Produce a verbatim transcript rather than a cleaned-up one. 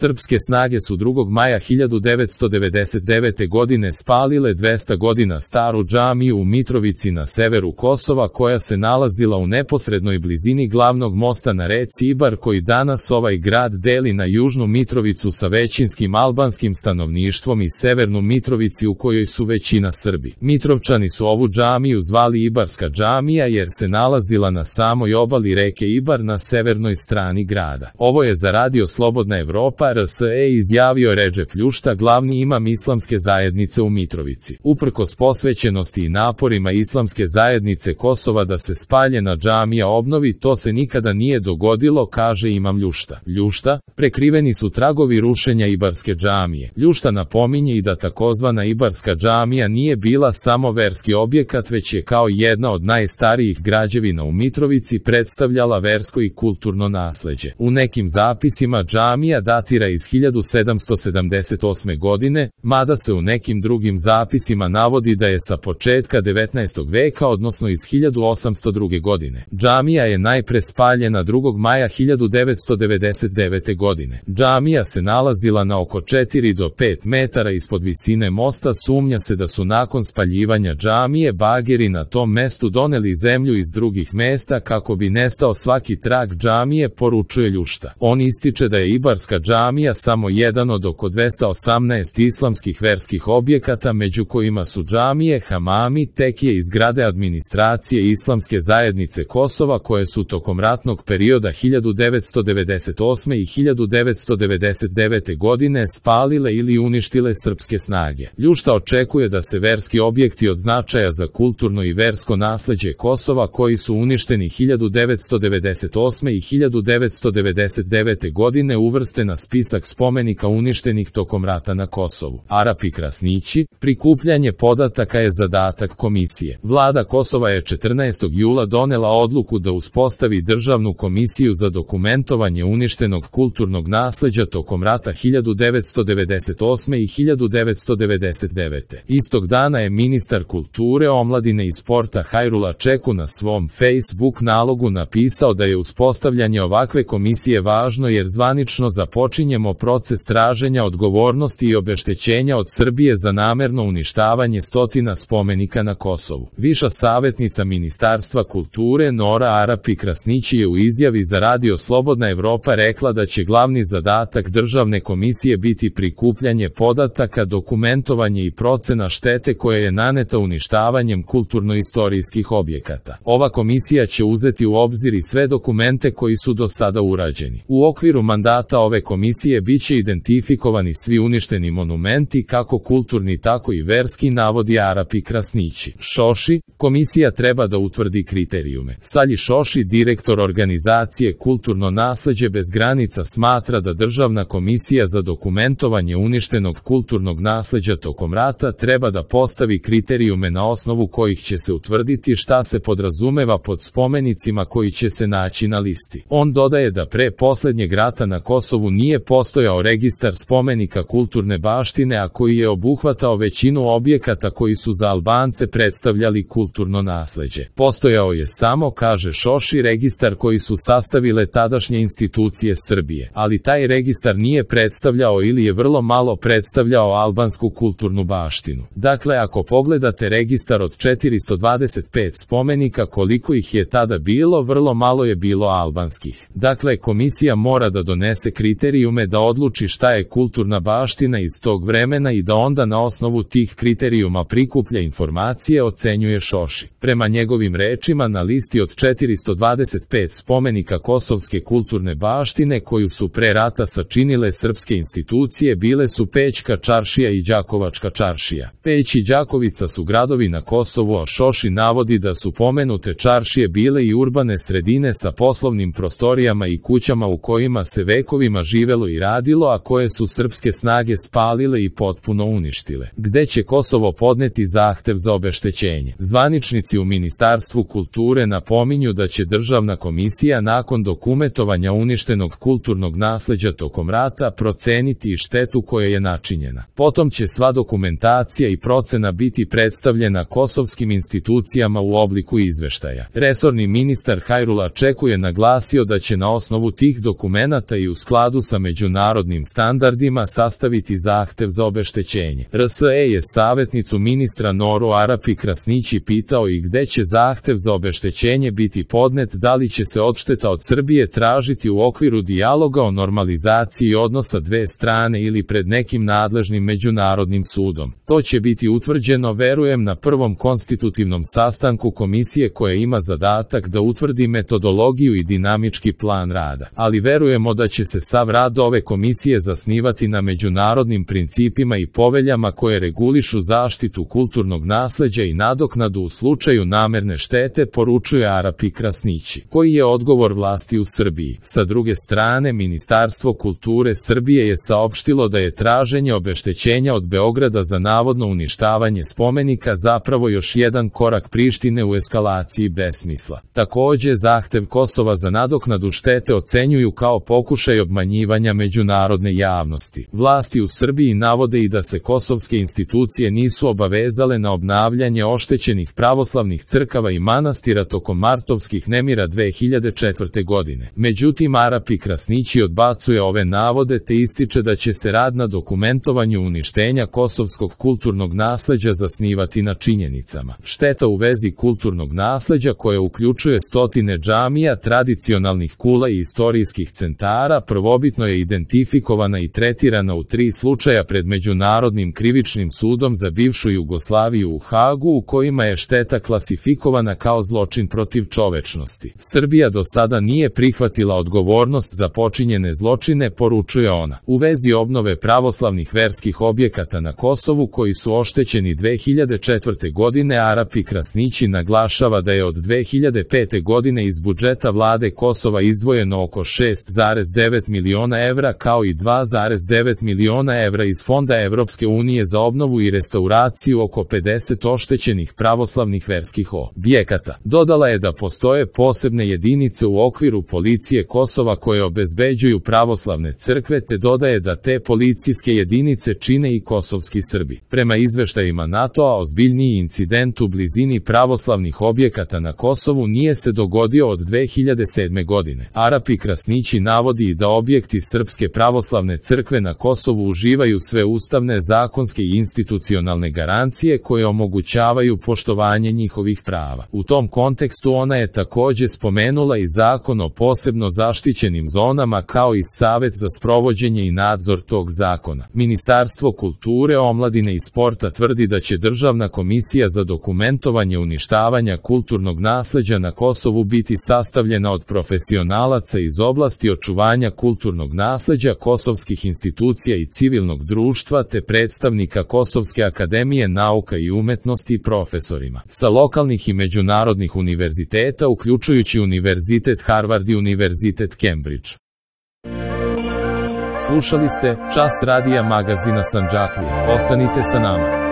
Srpske snage su drugog maja hiljadu devetsto devedeset devete. godine spalile dvesta godina staru džamiju u Mitrovici na severu Kosova, koja se nalazila u neposrednoj blizini glavnog mosta na reci Ibar, koji danas ovaj grad deli na južnu Mitrovicu sa većinskim albanskim stanovništvom i severnu Mitrovici u kojoj su većina Srbi. Mitrovčani su ovu džamiju zvali Ibarska džamija jer se nalazila na samoj obali reke Ibar na severnoj strani grada. Ovo je za Radio Slobodna Evropa R S E izjavio Redžep Ljušta, glavni imam islamske zajednice u Mitrovici. Uprkos posvećenosti i naporima islamske zajednice Kosova da se spaljena džamija obnovi, to se nikada nije dogodilo, kaže imam Ljušta. Ljušta, prekriveni su tragovi rušenja Ibarske džamije. Ljušta napominje i da takozvana Ibarska džamija nije bila samo verski objekat, već je kao jedna od najstarijih građevina u Mitrovici predstavljala versko i kulturno nasleđe. U nekim zapisima džamija datira iz hiljadu sedamsto sedamdeset osme. godine, mada se u nekim drugim zapisima navodi da je sa početka devetnaestog veka, odnosno iz hiljadu osamsto druge. godine. Džamija je najpre spaljena drugog maja hiljadu devetsto devedeset devete. godine. Džamija se nalazila na oko četiri do pet metara ispod visine mosta. Sumnja se da su nakon spaljivanja džamije bageri na tom mestu doneli zemlju iz drugih mesta kako bi nestao svaki trag džamije, poručuje Ljušta. On ističe da je Ibarska džamija samo jedan od oko dvesta osamnaest islamskih verskih objekata, među kojima su džamije, hamami, tekije i zgrade administracije Islamske zajednice Kosova, koje su tokom ratnog perioda hiljadu devetsto devedeset osme. i hiljadu devetsto devedeset devete. godine spalile ili uništile srpske snage. Ljušta očekuje da se verski objekti od značaja za kulturno i versko nasleđe Kosova, koji su uništeni hiljadu devetsto devedeset osme. i hiljadu devetsto devedeset devete. godine, uvrste na spisak spomenika uništenih tokom rata na Kosovu. Arapi Krasnići, prikupljanje podataka je zadatak komisije. Vlada Kosova je četrnaestog jula donela odluku da uspostavi državnu komisiju za dokumentovanje uništenog kulturnog nasleđa tokom rata hiljadu devetsto devedeset osme. i hiljadu devetsto devedeset devete. Istog dana je ministar kulture, omladine i sporta Hajrula Čeku na svom Facebook nalogu napisao da je uspostavljanje ovakve komisije važno jer zvanično započinjemo proces traženja odgovornosti i obeštećenja od Srbije za namerno uništavanje stotina spomenika na Kosovu. Viša savjetnica Ministarstva kulture Nora Arapi Krasnići je u izjavi za Radio Slobodna Evropa rekla da će glavni zadatak državne komisije biti prikupljanje podataka, dokumentovanje i procena štete koja je naneta uništavanjem kulturno-istorijskih objekata. Ova komisija će uzeti u obzir i sve dokumente koji su do sada urađeni. U okviru mandata ove komisije biće identifikovani svi uništeni monumenti, kako kulturni tako i verski, navodi Arapi Krasnići. Šoši, komisija treba da utvrdi kriterijume. Salji Šoši, direktor organizacije Kulturno nasleđe bez granica, smatra da državna komisija za dokumentovanje uništenog kulturnog nasleđa tokom rata treba da postavi kriterijume na osnovu kojih će se utvrditi šta se podrazumeva pod spomenicima koji će se naći na listi. On dodaje da pre poslednjeg rata na Kosovu nije postojao registar spomenika kulturne baštine, a koji je obuhvatao većinu objekata koji su za Albance predstavljali kulturno nasleđe. Postojao je samo, kaže Šoši, registar koji su sastavile tadašnje institucije Srbije, ali taj registar nije predstavljao ili je vrlo malo predstavljao albansku kulturnu baštinu. Dakle, ako pogledate registar od četiristo dvadeset pet spomenika koliko ih je tada bilo, vrlo malo je bilo albanskih. Dakle, komisija mora da donese kriterijume da odluči šta je kulturna baština iz tog vremena i da onda na osnovu tih kriterijuma prikuplja informacije, ocenjuje Šoši. Prema njegovim rečima, na listi od četiristo dvadeset pet spomenika kosovske kulturne baštine koju su pre rata sačinile srpske institucije bile su Pećka čaršija i Đakovačka čaršija. Peć i Đakovica su gradovi na Kosovu, a Šoši navodi da su pomenute čaršije bile i urbane sredine sa poslovnim prostorijama i kućama u kojima se vekovima živelo i radilo, a koje su srpske snage spalile i potpuno uništile. Gde će Kosovo podneti zahtev za obeštećenje? Zvaničnici u Ministarstvu kulture napominju da će državna komisija nakon dokumentovanja uništenog kulturnog nasleđa tokom rata proceniti i štetu koja je načinjena. Potom će sva dokumentacija i procena biti predstavljena kosovskim institucijama u obliku izveštaja. Resorni ministar Hajrula Čeku je naglasio da će na osnovu tih dokumenata i u skladu sa međunarodnim standardima sastaviti zahtev za obeštećenje. R S E je savjetnicu ministra Noru Arapi Krasnići pitao i gde će zahtev za obeštećenje biti podnet, da li će se odšteta od Srbije tražiti u okviru dijaloga o normalizaciji odnosa dve strane ili pred nekim nadležnim međunarodnim sudom. To će biti utvrđeno, verujem, na prvom konstitutivnom sastanku komisije koja ima zadatak da utvrdi metodologiju i dinamički plan rada. Ali verujemo da će se sav rad ove komisije zasnivati na međunarodnim principima i poveljama koje regulišu zaštitu kulturnog nasleđa i nadoknadu u slučaju namerne štete, poručuje Arapi Krasnići, koji je odgovor vlasti u Srbiji. Sa druge strane, Ministarstvo kulture Srbije je saopštilo da je traženje obeštećenja od Beograda za navodno uništavanje spomenika zapravo još jedan korak Prištine u eskalaciji besmisla. Takođe, zahtev Kosova za nadoknadu štete ocenjuju kao pokušaj obmanjivanja međunarodne javnosti. Vlasti u Srbiji navode i da se kosovske institucije nisu obavezale na obnavljanje oštećenih pravoslavnih crkava i manastira tokom martovskih nemira dve hiljade četvrte. godine. Međutim, Arapi Krasnići odbacuje ove navode te ističe da će se rad na dokumentovanju uništenja kosovskog kulturnog nasleđa zasnivati na činjenicama. Šteta u vezi kulturnog nasleđa, koja uključuje stotine džamija, tradicionalnih kula i istorijskih centara, prvobitno je identifikovana i tretirana u tri slučaja pred Međunarodnim krivičnim sudom za bivšu Jugoslaviju u Hagu, u kojima je šteta klasifikovana kao zločin protiv čovečnosti. Srbija do sada nije prihvatila odgovornost za počinjene zločine, poručuje ona. U vezi obnove pravoslavnih verskih objekata na Kosovu koji su oštećeni dve hiljade četvrte. godine, Arapi Krasnići naglašava da je od dve hiljade pete. godine iz budžeta vlade Kosova izdvojeno oko šest zarez devet miliona evra kao i dva zarez devet miliona evra iz Fonda Evropske unije za obnovu i restauraciju oko pedeset oštećenih pravoslavnih verskih objekata. Dodala je da postoje posebne jedinice u okviru policije Kosova koje obezbeđuju pravoslavne crkve, te dodaje da te policijske jedinice čine i kosovski Srbi. Prema izveštajima NATO-a, ozbiljniji incident u blizini pravoslavnih objekata na Kosovu nije se dogodio od dve hiljade sedme. godine. Arapi Krasnići navodi i da objekti Srpske pravoslavne crkve na Kosovu uživaju sve ustavne, zakonske i institucionalne garancije koje omogućavaju poštovanje njihovih prava. U tom kontekstu ona je takođe spomenula i Zakon o posebno zaštićenim zonama kao i Savet za sprovođenje i nadzor tog zakona. Ministarstvo kulture, omladine i sporta tvrdi da će Državna komisija za dokumentovanje uništavanja kulturnog nasleđa na Kosovu biti sastavljena od profesionalaca iz oblasti očuvanja kulturnog nasleđa, kosovskih institucija i civilnog društva te predstavnika Kosovske akademije nauka i umetnosti i profesorima sa lokalnih i međunarodnih univerziteta, uključujući Univerzitet Harvard i Univerzitet Cambridge. Slušali ste Čas radija magazina Sandžaklija. Ostanite sa nama.